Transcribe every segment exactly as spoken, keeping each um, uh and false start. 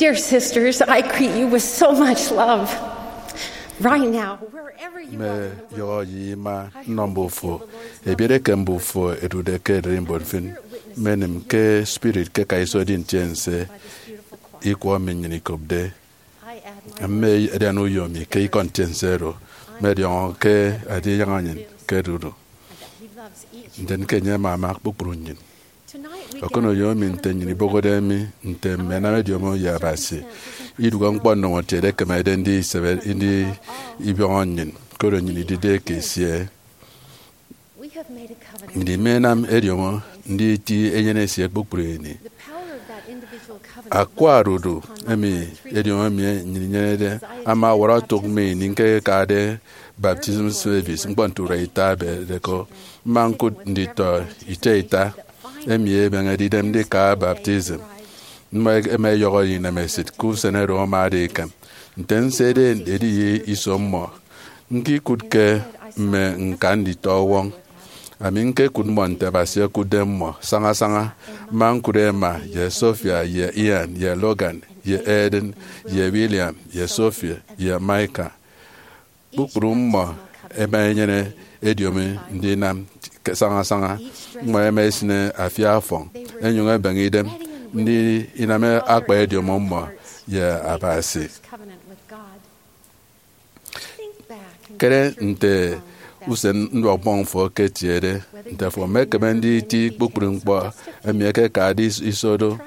Dear sisters, I greet you with so much love. Right now, wherever you are in the world, yọhọ ye ima nnọ mbufo, ebiere ke mbufo edude ke ererimbot mfin, mmenim ke spirit ke ka iso edi ntiense ikwọ emi nnyịn ikopde. Mme adian uyo mi ke ikọ ntiense oro, mmọdiọñọ ke adiaña nnyịn ke edudu, ndien ke enye ama ama kpukpru nnyịn. Ọkọnọ uyo mi nte nnyịn ibohode mi nte mme ẹnam ediomo ye Abasi. Idụhe ñkpọ ndomokiet ekemede ndisebe ndibiọñọ nnyịn, koro nnyịn idide eke esie. Nnyịn imenam ediomo nditi enyene esie kpukpru ini. Akwa odudu emi ediomo emi nnyịn inyenede ama ọwọrọ otụk mme ini ñkekade baptism service ñkpọ nte urua ita ebede ko. Mma ñkụt nditọ ita ita emi ẹbeñede idem ndika baptism. Mmọ ẹma ẹyọhọ ye inemesịt ke usen oro amade ikan. Nte nsede ediye iso mmọ, ñkikụtke mme ñka nditọwọñ. Ami ñkekụt mmọ nte Abasi okụtde mmọ sañasaña. Mma ñkụt Emma, ye Sophia, ye Ian, ye Logan, ye Eden, ye William, ye Sophie, ye Micah. Kpukpru mmọ ẹma ẹnyene ediomi ndinam ke sañasaña. Mmọ ẹma ẹsịne afia ọfọñ, ẹnyụñ ẹbeñe idem ndinam akpa ediomo mmọ ye Abasi. Kere nte usen nduọk mmọñ fo eketiede, nte afo emekeme nditi kpukpru ñkpọ emi ẹkekade is- iso do.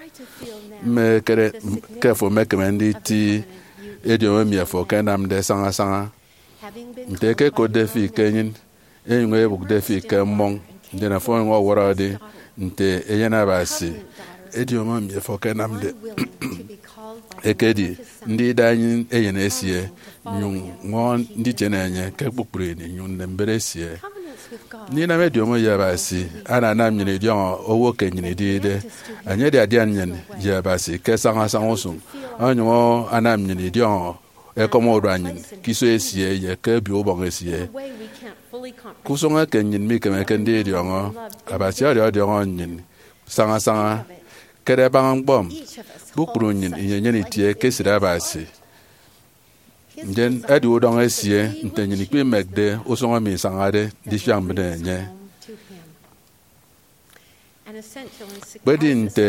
Mme kere ke afo emekeme nditi ediomi emi afo akanamde sañasaña. Nte ẹkekotde fi ke enyịn, ẹnyụñ ẹbụkde fi ke mmọñ, ndien afo onyụñ ọwọrọde nte eyen Abasi. Ediomi emi afo akanamde ekedi ndida enyịn eyen esie, nyụñ ñwọñọ nditiene enye ke kpukpru ini, nyụñ nnem mbet esie. Ndinam ediomi ye Abasi ananam nnyịn idiọñọ owo ke nnyịn idide. Enye edi adian nnyịn ye Abasi ke sañasaña usụñ, onyụñ anam nnyịn idiọñọ ekọm urua nnyịn ke iso esie ye ke obio ubọñ esie. Ke usụñ eke nnyịn mikemeke ndidiọñọ, Abasi ọdiọdiọñọ nnyịn sañasaña. Kere baña ñkpọ, kpukpru nnyịn inyenyene itie ke esịt Abasi. Ndien edi udọñ esie nte nnyịn ikpimekde usụñ emi isañade ndifiak mbịne enye. Kpedi nte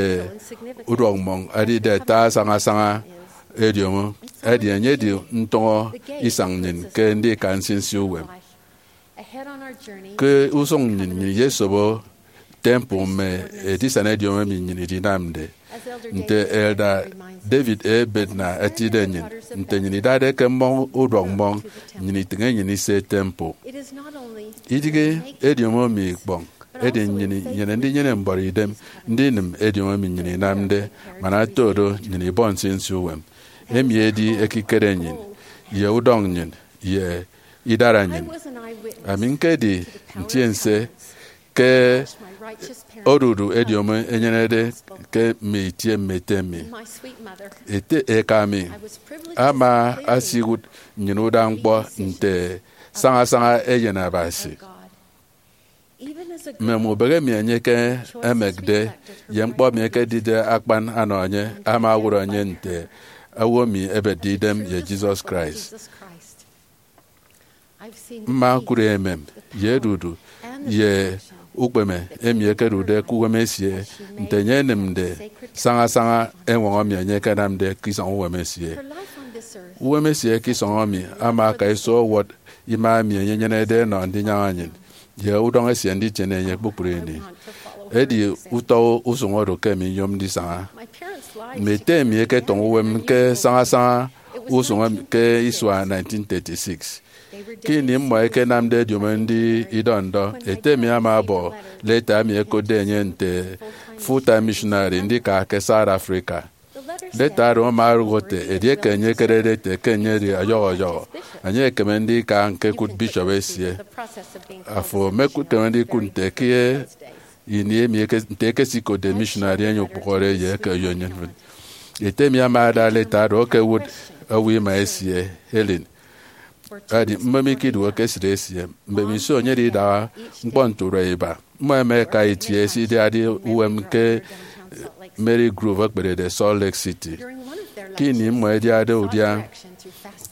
uduọk mmọñ edide ata sañasaña ediomo, edi enye edi ntụñọ isañ nnyịn ke ndika nsinsi uwem. Ke usụñ nnyịn, nnyịn iyesobo temple mme edisana ediomo emi nnyịn idinamde. Nte Elder David A. Bednar etide nnyịn, nte nnyịn idade ke mmọñ uduọk mmọñ, nnyịn itịñ enyịn ise temple. Idịghe ediomo emi ikpọñ, edi nnyịn inyene ndinyene mbuọtidem ndinịm ediomo emi nnyịn inamde, man oto do nnyịn ibọ nsinsi uwem. Emi edi ekikere nnyịn, ye udọñ nnyịn, ye idara nnyịn. Ami ñkedi ntiense ke odudu ediomo enyenede ke mme itie mme ete mi. Ete eka mi ama asiwụt nnyịn uda ñkpọ nte sañasaña eyen Abasi. Mme mubehe emi enye ke emekde ye ñkpọ emi ekedide akpan anọ enye ama owụt enye nte owo emi ebetde idem ye Jesus Christ. Mma ñkụt emem ye edudu ye ukpeme emi ekedude ke uwem esie, nte enye enịmde sañasaña eñwọñọ emi enye ekenamde ke isọñ uwem esie. Uwem esie ke isọñ emi ama aka iso owot ima emi enye enyenede enọ ndinyaña nnyịn, ye udọñ esie nditiene enye kpukpru ini. Edi utọ usụñ oro ke ami nyom ndisaña. Mme ete mi ẹketọñọ uwem ke sañasaña usụñ ke isua nineteen thirty-six. Ke ini mmọ ẹkenamde ediomo ndi idọ ndọ, ete mi ama ọbọ leta emi ẹkotde enye nte full-time missionary ndika ke South Africa. Leta oro ama orụk ete edieke enye ekerede ete ke enye edi ọyọhọ ọyọhọ, enye ekeme ndika ñkekụt bishop esie. Afo emekeme ndikụt nte ke ini emi eke- nte ekesikotde missionary emi okpụhọde ye eke oyonyụñ mfịn. Ete mi ama ada leta oro okowụt owo ima esie, Helen. Edi mmem ikidụhe ke esịt esie. Mbemiso enye edi idaha ñkpọ nte urua iba, mmọ ẹma ẹka itie ẹsidiade uwem ke Maple Grove ekpedede Salt Lake City. ke ini mmọ ẹdiade udia,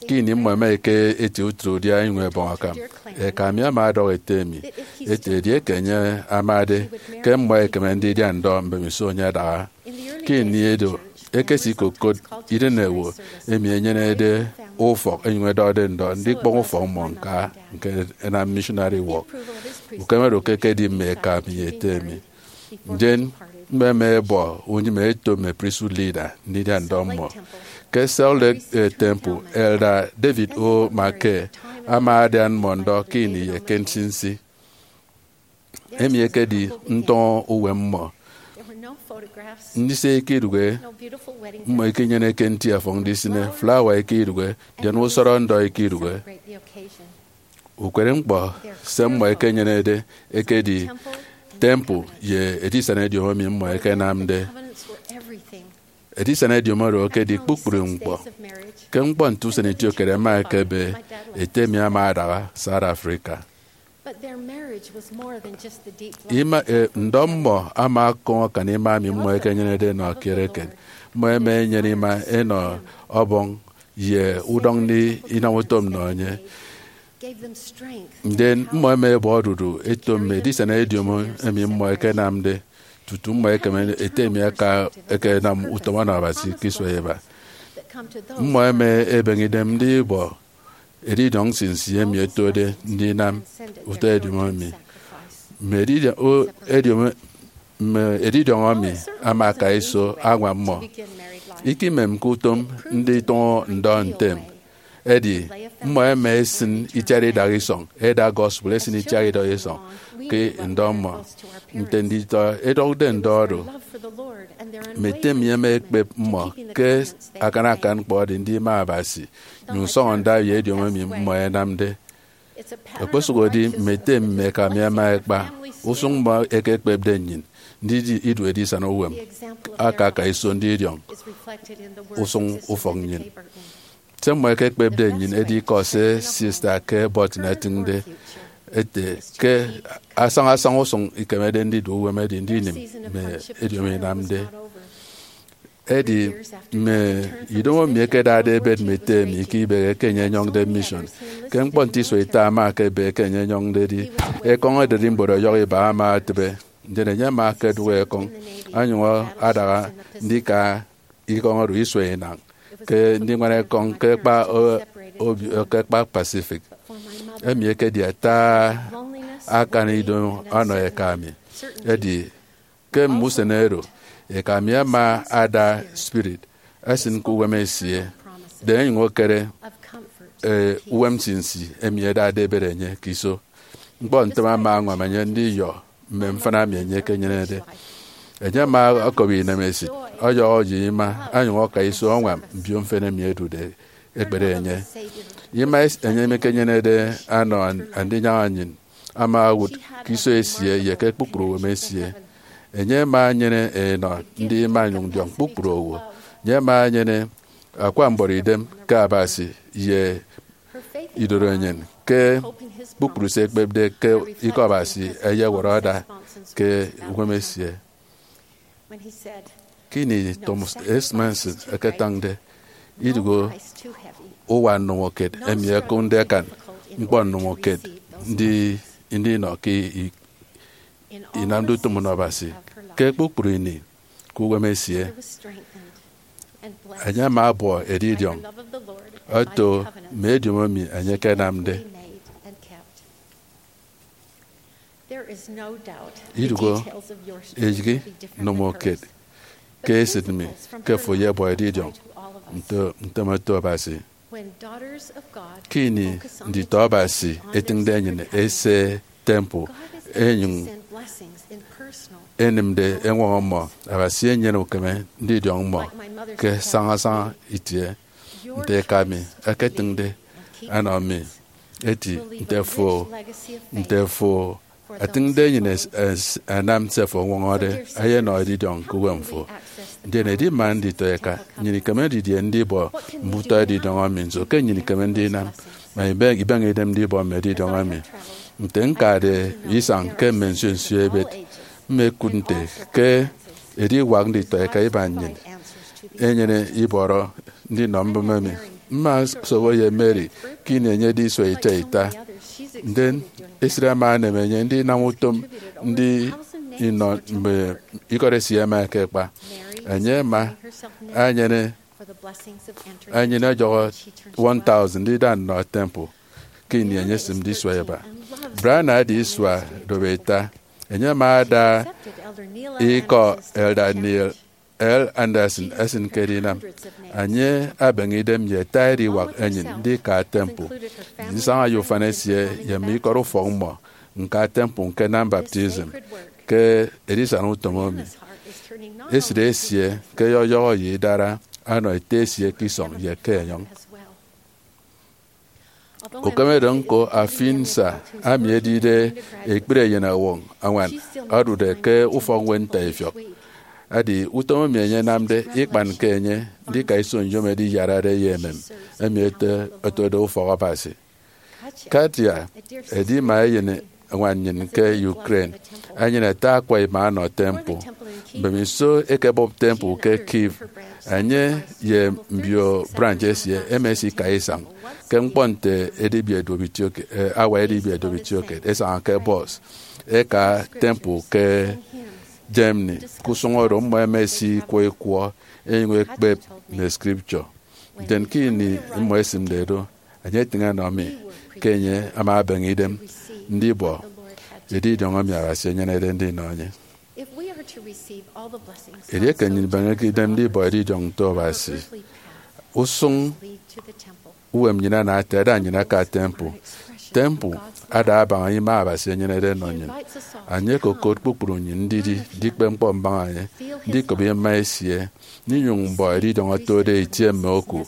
ke ini mmọ ẹma ẹka eti utịt udia inyụñ ẹbọñ akam. Eka mi ama ọdọhọ ete mi ete edieke enye amade ke mmọ ẹkeme ndidia ndọ mbemiso enye adaha. Ke ini edo, ekesi ikokot idịnewo emi enyenede ufọk ẹnyụñ ẹdọde ndọ ndikpọñ ufọk mmọ ñka ñka ẹnam missionary work. Ukeme do ke ekedi mme eka mi ye ete mi. Ndien mmọ ẹma ẹbọ unyịme ẹto mme priesthood leader ndidia ndọ mmọ. Ke Salt Lake, eh, Temple, Elder David O. McKay ama adian mmọ ndọ ke ini ye ke nsinsi. Emi ekedi ntọñọ uwem mmọ. Ndise eke idụhe, mmọ ikenyeneke nti ọfọñ ndisịne, flawa eke idụhe, ndien usọrọ ndọ eke idụhe. Ukere ñkpọ se mmọ ẹkenyenede ekedi temple ye edisana ediomi mmọ ẹkenamde. Edisana ediomi oro ekedi kpukpru ñkpọ. Ke ñkpọ nte usen itiokere ẹma ẹkebe, ete mi ama adaha South Africa. Ima, e, ndọ mmọ ama ọkọñọ akan ima emi mmọ ẹkenyenede ẹnọ kiet eken. Mmọ ẹma ẹnyene ima ẹnọ ọbọñ ye udọñ ndinam utom nnọ enye. Ndien mmọ ẹma ẹbọ odudu ẹto mme edisana ediomi emi mmọ ẹkenamde, tutu mmọ ẹkeme ete mi aka ẹkenam utom ọnọ Abasi ke isua iba. Mmọ ẹma ẹbeñe idem ndibọ edidiọñ nsinsi emi ẹtode ndinam utọ ediomi emi. Mme edidiọñ, o, ediomi, mme edidiọñ emi ama aka iso añwam mmọ. Ikimemke utom nditụñọ ndọ ntem, edi mmọ ẹma ẹsịn itiat idak isọñ, ẹda gospel ẹsịn itiat idak isọñ ke ndọ mmọ. Nte nditọ ẹdọkde ndọ oro, mme ete mi ẹma ẹkpep mmọ ke akan akan ñkpọ edi ndima Abasi, nyụñ sọñọ nda ye ediomi emi mmọ ẹnamde. Okposụkedi mme ete mme eka mi ẹma ẹkpa, usụñ mmọ ẹkekpepde nnyịn ndidi idu edisana uwem aka aka iso ndidiọñ usụñ ufọk nnyịn. Se mmọ ẹkekpepde nnyịn edi ikọ se Sista Kay Burton etịñde ete ke asaña asaña usụñ ikemede ndidu uwem edi ndinim mme ediomi inamde. Edi mme idomo mi ẹkedade ẹbet mme ete mi ke ibịghi eke enye enyọñde mission. Ke ñkpọ nte isua ita ama aka ebe eke enye enyọñde edi ekọñ ererimbot ọyọhọ iba ama etịbe. Ndien enye ama akedụk ekọñ, onyụñ adaha ndika ikọñ oro isua inañ ke ndiñwana ekọñ ke ekpa, o, obio, ke ekpa Pacific. Emi ekedi ata akan ido ọnọ eka mi. Edi ke mme usen oro, eka mi ama ada spirit esịn ke uwem esie, da enyụñ ekere, e, uwem nsinsi emi ẹdade ẹbet enye ke iso. Ñkpọ ntem ama añwam enye ndiyọ mme mfịna emi enye ekenyenede. Enye ama ọkọbi inemesịt, ọyọhọ ye ima, onyụñ ọka iso ọñwam mbio mfịna emi ẹdude ẹkpere enye. Ima es-, enye emi ekenyenede anọ an-, Andinyaña nnyịn ama owụt ke iso esie ye ke kpukpru uwem esie. Enye ama enyene enọ ndi ima inyụñ ndiọñ kpukpru owo. Enye ama enyene akwa mbuọtidem ke Abasi ye idorenyin ke kpukpru se ekpepde ke Ikọ Abasi eyewọrọ ada ke uwem esie. Ke ini Thomas S. Monson eketañde idụhe uwa nnụmụkiet emi ẹkụmde akan ñkpọ nnụmụkiet ndi, ndinọ ke i-, inamde utom nnọ Abasi ke kpukpru ini ke uwem esie, enye ama abuọ edidiọñ oto mme ediomi emi enye ekenamde. Idụhe eyịghe nnụmụkiet ke esịt mi ke fo eyebọ edidiọñ nte, ntem oto Abasi. Ke ini nditọ Abasi etịñde enyịn ese temple, enyụñ enịmde eñwọñọ mmọ, Abasi enyene ukeme ndidiọñ mmọ ke saña saña itie. Nte eka mi eketịñde ẹnọ mi, eti, nte fo, nte fo etịñde enyịn es-, es-, ẹnam se fo ọñwọñọde, eyenọ edidiọñ ke uwem fo. Ndien edi mme nditọ eka, nnyịn ikeme didie ndibọ mme utọ edidiọñ emi? Nso ke nnyịn ikeme ndinam? Ma ibe-, ibeñe idem ndibọ mme edidiọñ emi. Nte ñkade isañ ke mme nsio nsio ebet, mmekụt nte ke ediwak nditọ eka iban nnyịn enyene ibọrọ ndinọ mbụme mi. Mma sobo ye Mary ke ini enye edi isua ita ita. Ndien esịt ama enem enye ndinam utom ndi inọ mme ikọt esie ẹma ẹkekpa. Enye ama enyene enyene ọjọhọ one thousand ndida nnọ temple ke ini enye esịmde isua iba. Brianna edi isua dobo ita. Enye ama ada ikọ Elder Neil L. Andersen esịn ke edinam. Enye abeñe idem ye ata ediwak enyịn ndika temple, ndisaña ye ufan esie ye mme ikọt ufọk mmọ ñka temple ñkenam baptism ke edisana utom emi. Esịt esie ke ọyọhọ ye idara ọnọ ete esie ke isọñ ye ke enyọñ. Ukemede ñko Afinsa, ami edide ekpri eyen ọwọñ añwan odude ke ufọkñwed ntaifiọk. Edi utom emi enye enamde ikpanke enye ndika iso nyom edi iyarade ye emem emi ete otode ufọk Abasi. Katia, edima eyen añwan nnyịn ke Ukraine, enyene ata akwa ima ọnọ temple. Mbemiso ẹkebọp temple ke Kyiv, enye ye mbio branch esie ẹma ẹsika isañ ke ñkpọ nte edibi eduop itioke-, eh, awa edibi eduop itiokiet, ẹsaña ke bọs ẹka temple ke Germany. Ke usụñ oro, mmọ ẹma ẹsikwọ ikwọ ẹnyụñ ẹkpep mme scripture. Ndien ke ini mmọ ẹsịmde do, enye etịñ enọ mi ke enye ama abeñe idem ndibọ edidiọñ emi Abasi enyenede ndinọ enye. Edieke nnyịn ibeñeke idem ndibọ edidiọñ nto Abasi, usụñ uwem nnyịn ana ete ada nnyịn aka temple. Temple ada abaña ima Abasi enyenede enọ nnyịn. Enye okokot kpukpru nnyịn ndidi ndikpe ñkpọ mbaña enye, ndikop ima esie, ndinyụñ mbọ edidiọñ otode itie mme oku,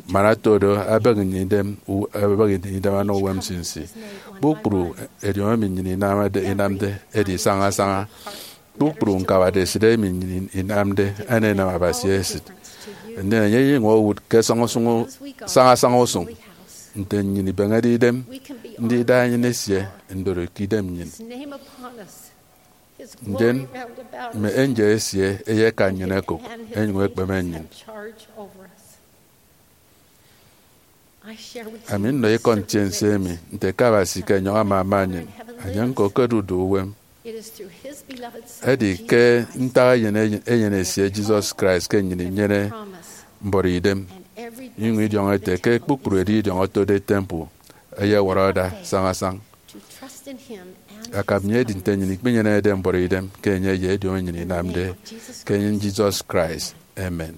man oto do, ẹbịghi nnyịn idem, u-, ẹbịghi nnyịn idem ẹnọ uwem nsinsi. Kpukpru edidiọñ emi nnyịn inamde, inamde edi sañasaña. Kpukpru ñkabade esịt emi nnyịn inamde ẹnenam Abasi esịt. Ndien enye eyenyụñ owụt ke sañasaña usụñ nte nnyịn ibeñede idem ndida enyịn esie ndori ke idem nnyịn. Ndien mme angel esie ẹyeka nnyịn ẹkụk, ẹnyụñ ẹkpeme nnyịn. Ami nnọ ikọ ntiense emi nte ke Abasi ke enyọñ ama ama nnyịn, enye ñko ke odudu uwem. Edi ke ntak eyen, eyen esie Jesus Christ ke nnyịn inyene mbuọtidem, inyụñ idiọñọ ete ke kpukpru edidiọñ otode temple eyewọrọ ada sañasañ. Akam nnyịn edi nte nnyịn ikpenyenede mbuọtidem ke enye ye edidiọñ nnyịn inamde ke enyịn Jesus Christ. Amen.